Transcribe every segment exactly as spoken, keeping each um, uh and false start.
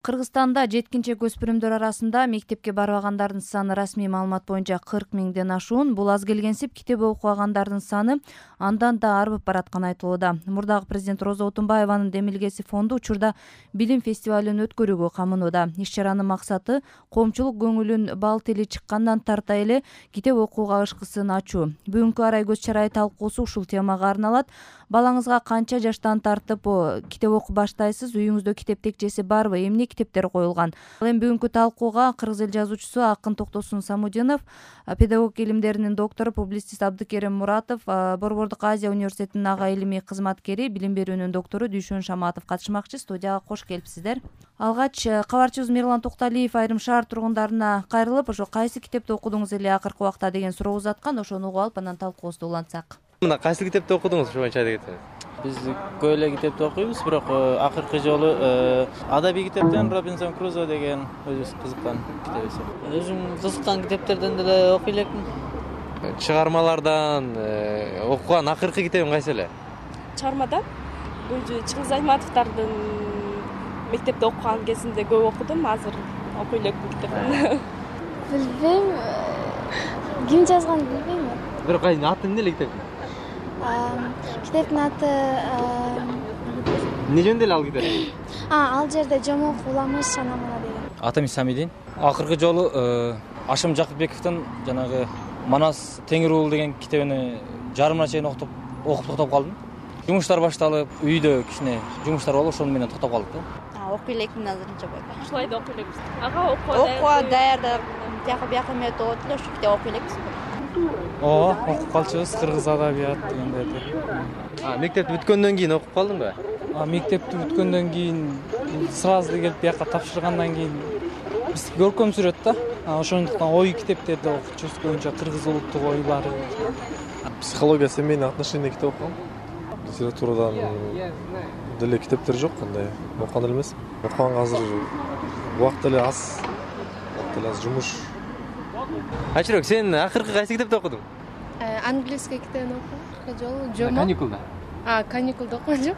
Кыргызстанда жеткинчек өспүрүмдөр арасында мектепке барбагандардын саны расмий маалымат боюнча кырк миңден ашуун. Бул аз келгенсип китеп окубагандардын саны андан да арбып баратканы айтылууда. Мурдагы президент Роза Отунбаеванын демилгеси фонду учурда билим фестивалын өткөрүүгө камынууда. Иш-чаранын максаты коомчулук көңүлүн бал тили чыккандан тарта эле китеп окууга ышкысын ачуу. Бүгүнкү арай көз чарай талкуусу ушул темага арналат. Балаңызга канча жаштан тартып китеп окуп баштайсыз? Үйүңүздө китеп текчеси барбы? Эмне китептер коюлган? Ал эми бүгүнкү талкууга кыргыз эл жазуучусу Акын Токтосун Самудинов, педагог илимдеринин доктору, публицист Абдыкерим Муратов, Борбордук Азия университетинин ага илимий кызматкери, билим берүүнүн доктору Дүйшөн Шаматов катышмакчы. Студияга кош келипсиздер. Алгач кабарчыбыз Мирлан Токталиев айрым шаар тургундарына кайрылып, ошо кайсы китепти окудуңуз эле акыркы убакта деген суроо узаткан. Ошону угуп алып, анан талкуубузду улантсак. Мына кайсы китепти окудуңуз ушу боюнча айтып кетсеңиз? Биз көп эле китепти окуйбуз, бирок акыркы жолу адабий китептен Робинзон Крузо деген өзүбүз кызыккан китебибиз. Өзүм кызыккан китептерден деле окуй элекмин. Чыгармалардан окуган акыркы китебиң кайсы эле? Чыгармадан өзү Чыңгыз Айтматовдордун мектепте окуган кезинде көп окудум, азыр окуй элекмин китепти. Билбейм. Ким жазганын билбейм. Бирок кайсы аты эмне эле китептин? Китептин аты эмне жөнүндө эле ал китеп? А, ал жерде жомок уламыш шанамына деген. Атам Исамидин. Акыркы жолу Ашым Жакыпбековдун жанагы Манас Теңир уулу деген китебини жарымына чейин окуп окуп токтоп калдым. Жумуштар башталып, үйдө кичине жумуштар болуп, ошону менен токтоп калдык да. Окуй элекмин азырынча байка. Ушулай да окуй элекпиз. Ага окууга даярдап, тияка бияка эметип болот эле, ошо китеп окуй элекпиз. Ооба, окуп калчубуз кыргыз адабият дегендерди. А, мектепти бүткөндөн кийин окуп калдыңбы? А, мектепти бүткөндөн кийин сразу келип бияка тапшыргандан кийин биз көркөм сүрөт да. Ошондуктан ой китептерди окучубуз, көбүнчө кыргыз улуттук ойлары. Психология семейный отношения китеп окугам. Литературадан деле китептер жок, кандай окуган эле эмес. Окуганга азыр убакыт эле аз. Убакыт эле аз жумуш. Ачырок, сен акыркы кайсы китепти окудуң? Английский китебин окудум. Жолу жомок. Каникулда. А, каникулда окуган жок.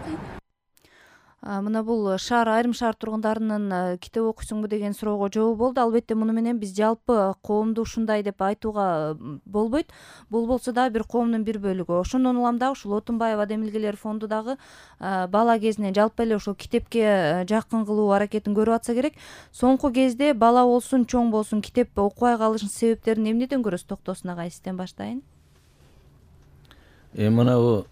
Мына бул шаар айрым шаар тургундарынын китеп окуйсуңбу деген суроого жооп болду. Албетте муну менен биз жалпы коомду ушундай деп айтууга болбойт. Бул болсо дагы бир коомдун бир бөлүгү. Ошондон улам дагы ушул Отунбаева демилгелер фонду дагы бала кезинен жалпы эле ошол китепке жакын кылуу аракетин көрүп атса керек. Соңку кезде бала болсун, чоң болсун китеп окубай калышынын себептерин эмнеден көрөсүз? Токтосун агай, сизден баштайын. Э мына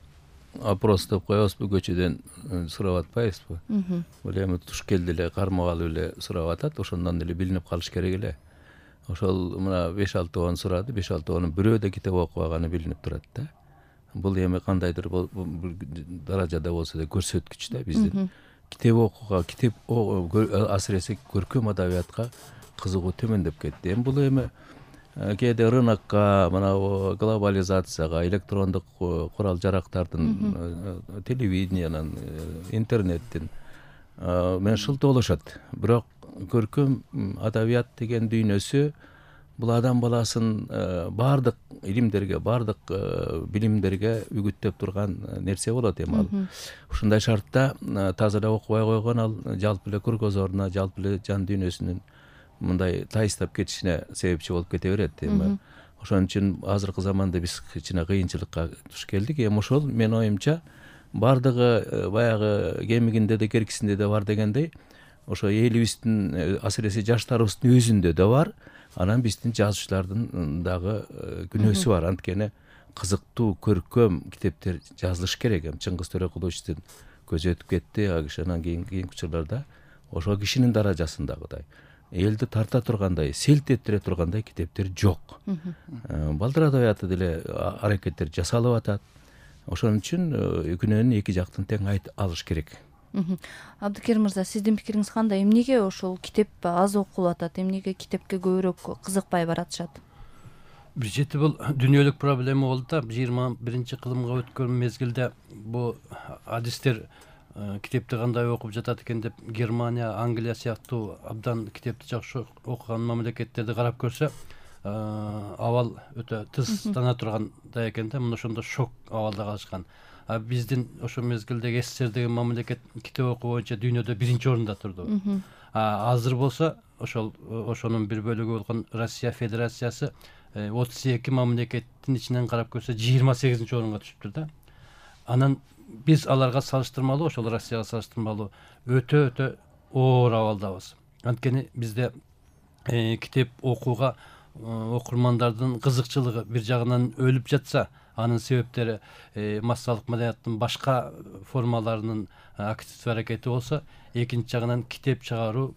опрос деп коебузбу, көчөдөн сурап атпайбызбы? Бул эми туш келди эле, кармап алып эле сурап атат, ошондон эле билинип калыш керек эле. Ошол мына беш алты он сурады, беш алты онун бирөө да китеп окубаганы билинип турат да. Бул эми кандайдыр даражада болсо да көрсөткүч да биздин. Китеп окууга, китеп асыресе көркөм адабиятка кызыгуу төмөндөп кетти. Эми бул эми кээде рынокко, мына глобализацияга, электрондук курал жарактардын, телевидениянын, интернеттин менен шылтоолошот. Бирок көркөм адабият деген дүйнөсү бул адам баласын баардык илимдерге, баардык билимдерге үгүттөп турган нерсе болот эми ал. Ушундай шартта таза эле окубай койгон ал жалпы эле кругозоруна, жалпы эле жан дүйнөсүнүн мындай тайыстап кетишине себепчи болуп кете берет эми. Ошон үчүн азыркы заманда биз кичине кыйынчылыкка туш келдик. Эми ошол менин оюмча баардыгы баягы кемигинде де керкисинде де бар дегендей, ошо элибиздин асыресе жаштарыбыздын өзүндө да бар. Анан биздин жазуучулардын дагы күнөөсү бар. Анткени кызыктуу, көркөм китептер жазылыш керек. Эми Чыңгыз Төрөкуловичтин көзү өтүп кетти, а киши анан кийинки учурларда ошол кишинин даражасындагыдай элди тарта тургандай, селт этире тургандай китептер жок. Балдар адабияты деле аракеттер жасалып атат. Ошон үчүн күнөөнү эки жактан тең алыш керек. Абдыкерим мырза, сиздин пикириңиз кандай? Эмнеге ошол китеп аз окулуп атат? Эмнеге китепке көбүрөөк кызыкпай баратышат? Бир чети бул дүйнөлүк проблема болду да. жыйырма биринчи кылымга өткөн мезгилде бу адистер китепти кандай окуп жатат экен деп Германия, Англия сыяктуу абдан китепти жакшы окуган мамлекеттерди карап көрсө, абал өтө тызтана тургандай экен да. Мына ошондо шок абалда калышкан. А биздин ошол мезгилдеги СССР деген мамлекет китеп окуу боюнча дүйнөдө биринчи орунда турду. азыр болсо ошол ошонун бир бөлүгү болгон Россия Федерациясы отуз эки мамлекеттин ичинен карап көрсө жыйырма сегизинчи орунга түшүптүр да. Анан биз аларга салыштырмалуу, ошол Россияга салыштырмалуу өтө өтө оор абалдабыз. Анткени бизде китеп окууга окурмандардын кызыкчылыгы бир жагынан өлүп жатса, анын себептери массалык маданияттын башка формаларынын активдүү аракети болсо, экинчи жагынан китеп чыгаруу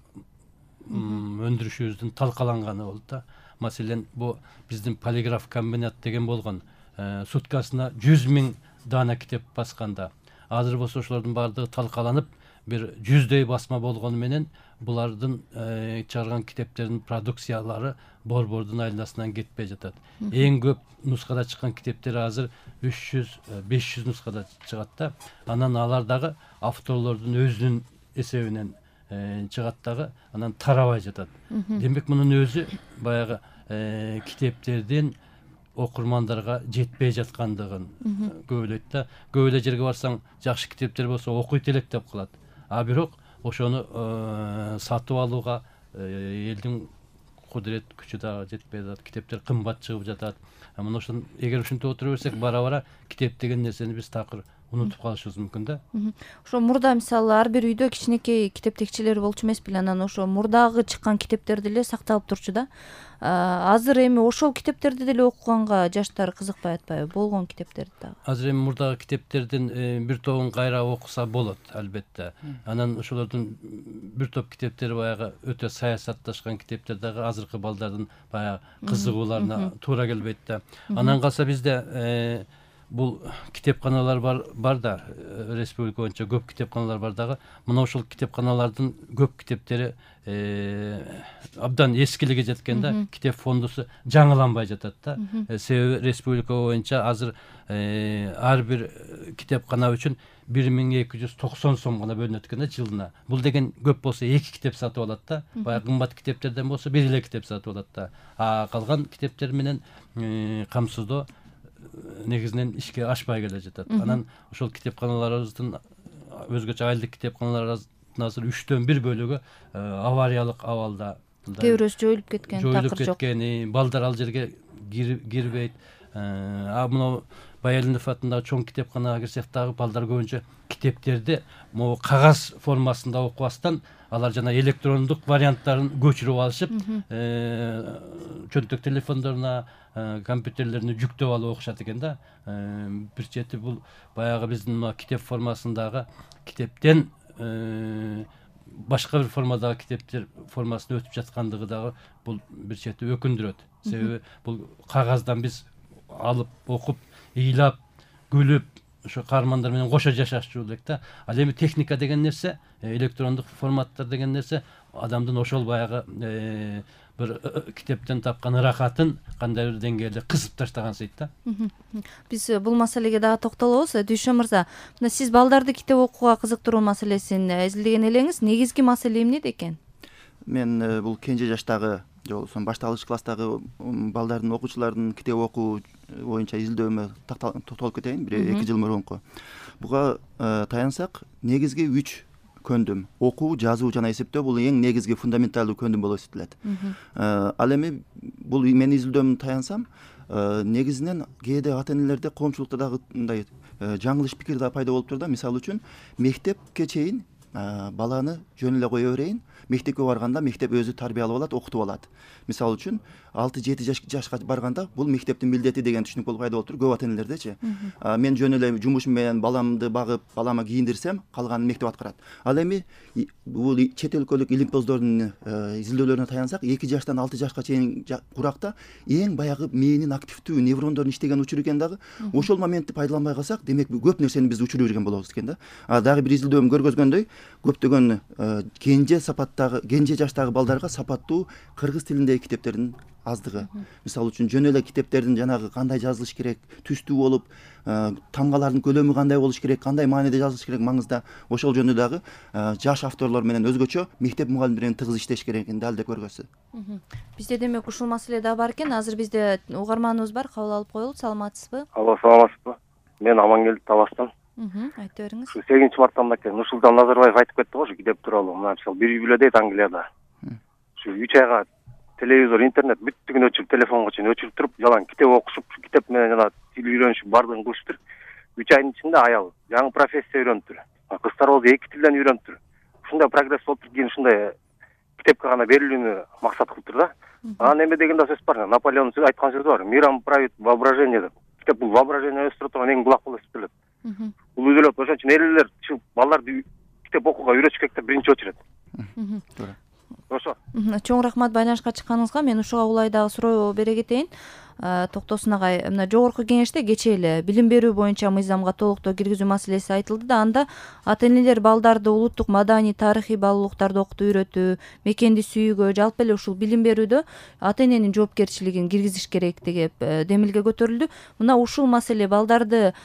өндүрүшүбүздүн талкаланганы болду да. Маселен, бу биздин полиграф комбинат деген болгон, суткасына жүз миң дана китеп басканда, азыр болсо ошолордун баардыгы талкаланып, бир жүздөй басма болгону менен булардын чыгарган китептердин продукциялары борбордун айланасынан кетпей жатат. Эң көп нускада чыккан китептер азыр үч жүз беш жүз нускада чыгат да. Анан алар дагы авторлордун өзүнүн эсебинен чыгат дагы, анан тарабай жатат. Демек, мунун өзү баягы китептердин окурмандарга жетпей жаткандыгын көбөлөйт да. Көп эле жерге барсаң, жакшы китептер болсо окуйт элек деп калат. А бирок ошону сатып алууга элдин кудурет күчү дагы жетпей жатат. Китептер кымбат чыгып жатат. Мына ошон эгер ушинтип отура берсек, бара-бара китеп деген нерсени биз такыр унутуп калышыбыз мүмкүн да. Ошо мурда мисалы ар бир үйдө кичинекей китептекчилер болчу эмес беле, анан ошо мурдагы чыккан китептер деле сакталып турчу да. Азыр эми ошол китептерди деле окуганга жаштар кызыкпай атпайбы? Болгон китептерди дагы. Азыр эми мурдагы китептердин бир тобун кайра окуса болот, албетте. Анан ошолордун бир топ китептери баягы өтө саясатташкан китептер дагы азыркы балдардын баягы кызыгууларына туура келбейт да. Анан калса бизде бул китепканалар бар бар да, республика боюнча көп китепканалар бар дагы. Мына ошол китепканалардын көп китептери абдан эскилиге жеткен да, китеп фондусу жаңыланбай жатат да. Себеби республика боюнча азыр ар бир китепкана үчүн бир миң эки жүз токсон сом гана бөлүнөт экен да жылына. Бул деген көп болсо эки китеп сатып алат да. Баягы кымбат китептерден болсо бир эле китеп сатып алат да. А калган китептер менен камсыздоо негизинен ишке ашпай келе жатат. Анан ошол китепканаларыбыздын өзгөчө айлык китепканаларыбыздын азыр үчтөн бир бөлүгү авариялык абалда. Кээ бирөөсү жоюлуп кеткен, такыр жок. Жоюлуп кеткен, балдар ал жерге кирбейт. А мына Баялинов атындагы чоң китепканага кирсек дагы балдар көбүнчө китептерди могу кагаз формасында окубастан алар жана электрондук варианттарын көчүрүп алышып, чөнтөк телефондоруна, компьютерлерине жүктөп алып окушат экен да. Бир чети бул баягы биздин китеп формасындагы китептен башка бир формадагы китептер формасына өтүп жаткандыгы дагы бул бир чети өкүндүрөт. Себеби бул кагаздан биз алып окуп, ыйлап, күлүп, ошо каармандар менен кошо жашашчу элек да. Ал эми техника деген нерсе, электрондук форматтар деген нерсе адамдын ошол баягы бир китептен тапкан ырахатын кандай бир деңгээлде кысып таштаган сейт да. Биз бул маселеге дагы токтолобуз. Дүйшө мырза, мына сиз балдарды китеп окууга кызыктыруу маселесин изилдеген элеңиз, негизги маселе эмнеде экен? Мен бул кенже жаштагы же болбосо башталгыч класстагы балдардын, окуучулардын китеп окуу боюнча изилдөөмө токтолуп кетейин, бир эки жыл мурунку. Буга таянсак, негизги үч көндүм: окуу, жазуу жана эсептөө бул эң негизги фундаменталдуу көндүм болуп эсептелет. Ал эми бул мен изилдөөмө таянсам, негизинен кээде ата энелерде, коомчулукта дагы мындай жаңылыш пикир да пайда болуп турду. Мисалы үчүн, мектепке чейин баланы жөн эле кое берейин, мектепке барганда мектеп өзү тарбиялап алат, окутуп алат. Мисалы үчүн, алты жети жашка барганда бул мектептин милдети деген түшүнүк болуп пайда болуп тур көп ата энелердечи. Мен жөн эле жумушум менен баламды багып, балама кийиндирсем, калганын мектеп аткарат. Ал эми бул чет өлкөлүк илимпоздордун изилдөөлөрүнө таянсак, эки жаштан алты жашка чейин куракта эң баягы мээнин активдүү нейрондордун иштеген учуру экен дагы. Ошол моментти пайдаланбай калсак, демек көп нерсени биз учуруп жүргөн болобуз экен да. А дагы бир изилдөөм көргөзгөндөй, көптөгөн кенже сапаттагы, кенже жаштагы балдарга сапаттуу кыргыз тилиндеги китептердин аздыгы. Мисалы үчүн, жөн эле китептердин жанагы кандай жазылыш керек, түстүү болуп, тамгалардын көлөмү кандай болуш керек, кандай мааниде жазылыш керек маңызда, ошол жөнүндө дагы жаш авторлор менен өзгөчө мектеп мугалимдери менен тыгыз иштеш керек экенин дал эле көргөзсү. Бизде демек ушул маселе да бар экен. Азыр бизде угарманыбыз бар, кабыл алып коелу. Саламатсызбы? Алло, саламатсызбы? Мен Амангелди Таластан. Айтып бериңиз. Ушу сегизинчи мартта мынакей Нурсултан Назарбаев айтып кетти го ушу китеп тууралуу. Мына мисалы бир үй бүлө дейт Англияда. Ушу үч айга телевизор, интернет бүттүгүн өчүрүп, телефонго чейин өчүрүп туруп, жалаң китеп окушуп, китеп менен жана тил үйрөнүшүп бардыгын кылышыптыр. үч айдын ичинде аял жаңы профессия үйрөнүптүр. Кыздар болсо эки тилден үйрөнүптүр. Ушундай прогресс болуптур, кийин ушундай китепке гана берилүүнү максат кылыптыр да. Анан эме деген да сөз бар. Наполеон айткан сөзү бар. Миром правит воображение деп. Китеп бул воображение өстүрө турган эң булак болуп эсептелет. Бул үйдөлөт. Ошон үчүн эл элер балдарды китеп окууга үйрөтүш керек деп биринчи очередь. Туура. Ошо. Чоң рахмат байланышка чыкканыңызга. Мен ушуга улай дагы суроо бере кетейин. Токтосун агай, мына жогорку кеңеште кечээ эле билим берүү боюнча мыйзамга толуктоо киргизүү маселеси айтылды да, анда ата-энелер балдарды улуттук маданий, тарыхый баалуулуктарды окутуп үйрөтүү, мекенди сүйүүгө, жалпы эле ушул билим берүүдө ата-эненин жоопкерчилигин киргизиш керек деп демилге көтөрүлдү. Мына ушул маселе балдарды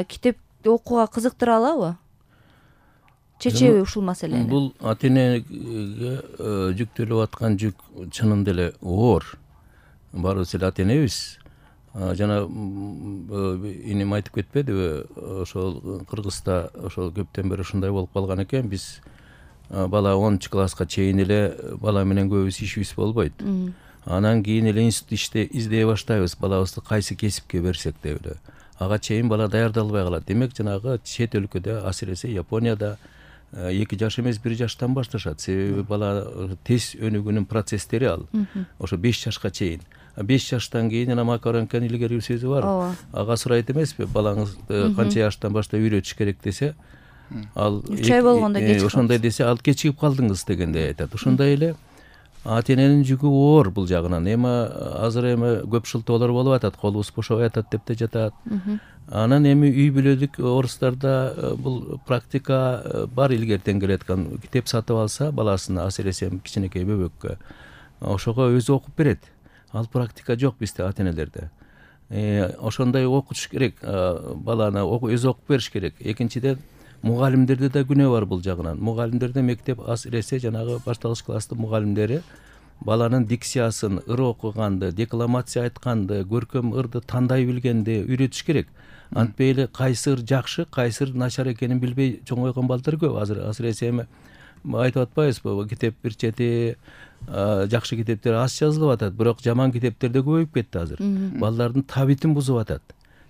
китеп окууга кызыктыра алабы? Чечеби ушул маселени? Бул ата-энеге жүктөлүп аткан жүк чынында эле оор. Баарыбыз эле ата-энебиз. Жана инем айтып кетпедиби, ошол Кыргызда ошол көптөн бери ушундай болуп калган экен. Биз бала онунчу класска чейин эле бала менен көбүбүз ишибиз болбойт. Анан кийин эле институт иште издей баштайбыз, балабызды кайсы кесипке берсек деп эле. Ага чейин бала даярдалбай калат. Демек жанагы чет өлкөдө, асыресе Японияда эки жаш эмес бир жаштан башташат. Себеби бала тез өнүгүүнүн процесстери ал. Ошо беш жашка чейин. беш жаштан кийин жана Макаренконун илгерки сөзү бар. Ага сурайт эмеспи, балаңызды канча жаштан баштап үйрөтүш керек десе, ал үч ай болгондо кечигип ошондой десе, ал кечигип калдыңыз дегендей айтат. Ошондой эле ата-эненин жүгү оор бул жагынан. Эми азыр эми көп шылтоолор болуп атат, колубуз бошобой атат деп да жатат. Анан эми үй бүлөлүк орустарда бул практика бар, илгертен келаткан. Китеп сатып алса баласына, асыресе кичинекей бөбөккө, ошого өзү окуп берет. Ал практика жок бизде ата-энелерде. Ошондой окутуш керек, баланы өзү окуп бериш керек. Экинчиден, мугалимдерде да күнөө бар бул жагынан. Мугалимдерде мектеп асыресе жанагы башталгыч класстын мугалимдери баланын дикциясын, ыр окуганды, декламация айтканды, көркөм ырды тандай билгенди үйрөтүш керек. Антпей эле кайсы ыр жакшы, кайсы ыр начар экенин билбей чоңойгон балдар көп. Азыр асыресе эми айтып атпайбызбы, китеп бир чети жакшы китептер аз жазылып атат, бирок жаман китептер да көбөйүп кетти азыр. Балдардын табитин бузуп атат.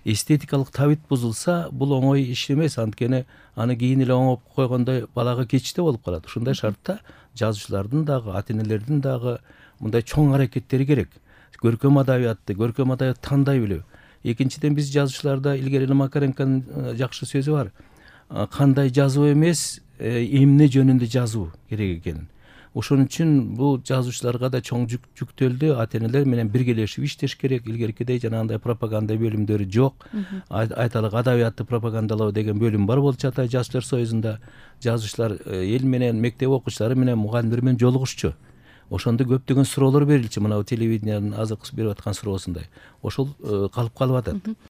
Эстетикалык табит бузулса, бул оңой иш эмес, анткени аны кийин эле оңоп койгондой балага кечте болуп калат. Ушундай шартта жазуучулардын дагы, ата-энелердин дагы мындай чоң аракеттери керек. Көркөм адабиятты, көркөм адабиятты тандай билүү. Экинчиден, биз жазуучуларда илгери эле Макаренконун жакшы сөзү бар. Кандай жазуу эмес, эмне жөнүндө жазуу керек экенин. Ошон үчүн бул жазуучуларга да чоң жүк жүктөлдү. Ата-энелер менен биргелешип иштеш керек. Илгеркидей жанагындай пропаганда бөлүмдөрү жок. Айталык адабиятты пропагандалоо деген бөлүм бар болчу Атай Жазуучулар союзунда. Жазуучулар эл менен, мектеп окуучулары менен, мугалимдер менен жолугушчу. Ошондо көптөгөн суроолор берилчү. Мына телевидениянын азыркы берип аткан суроосундай. Ошол калып калып атат.